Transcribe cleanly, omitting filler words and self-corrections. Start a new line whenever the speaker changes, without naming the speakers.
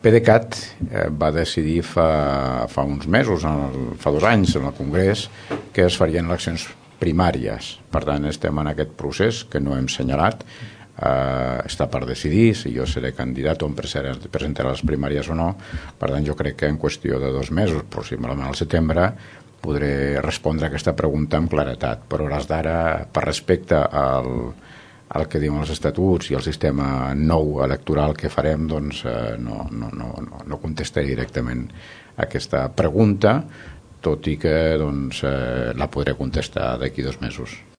PDeCAT va decidir fa uns mesos, fa 2 anys en el Congrés, que es farien eleccions primàries. Per tant, estem en aquest procés que no hem assenyalat. Està per decidir si jo seré candidat o em presentaré a les primàries o no. Per tant, jo crec que en qüestió de 2 mesos, aproximadament al setembre, podré respondre a aquesta pregunta amb claretat. Però a hores d'ara, per respecte al que diuen els estatuts i el sistema nou electoral que farem, doncs no contestaré directament a aquesta pregunta, tot i que la podré contestar d'aquí 2 mesos.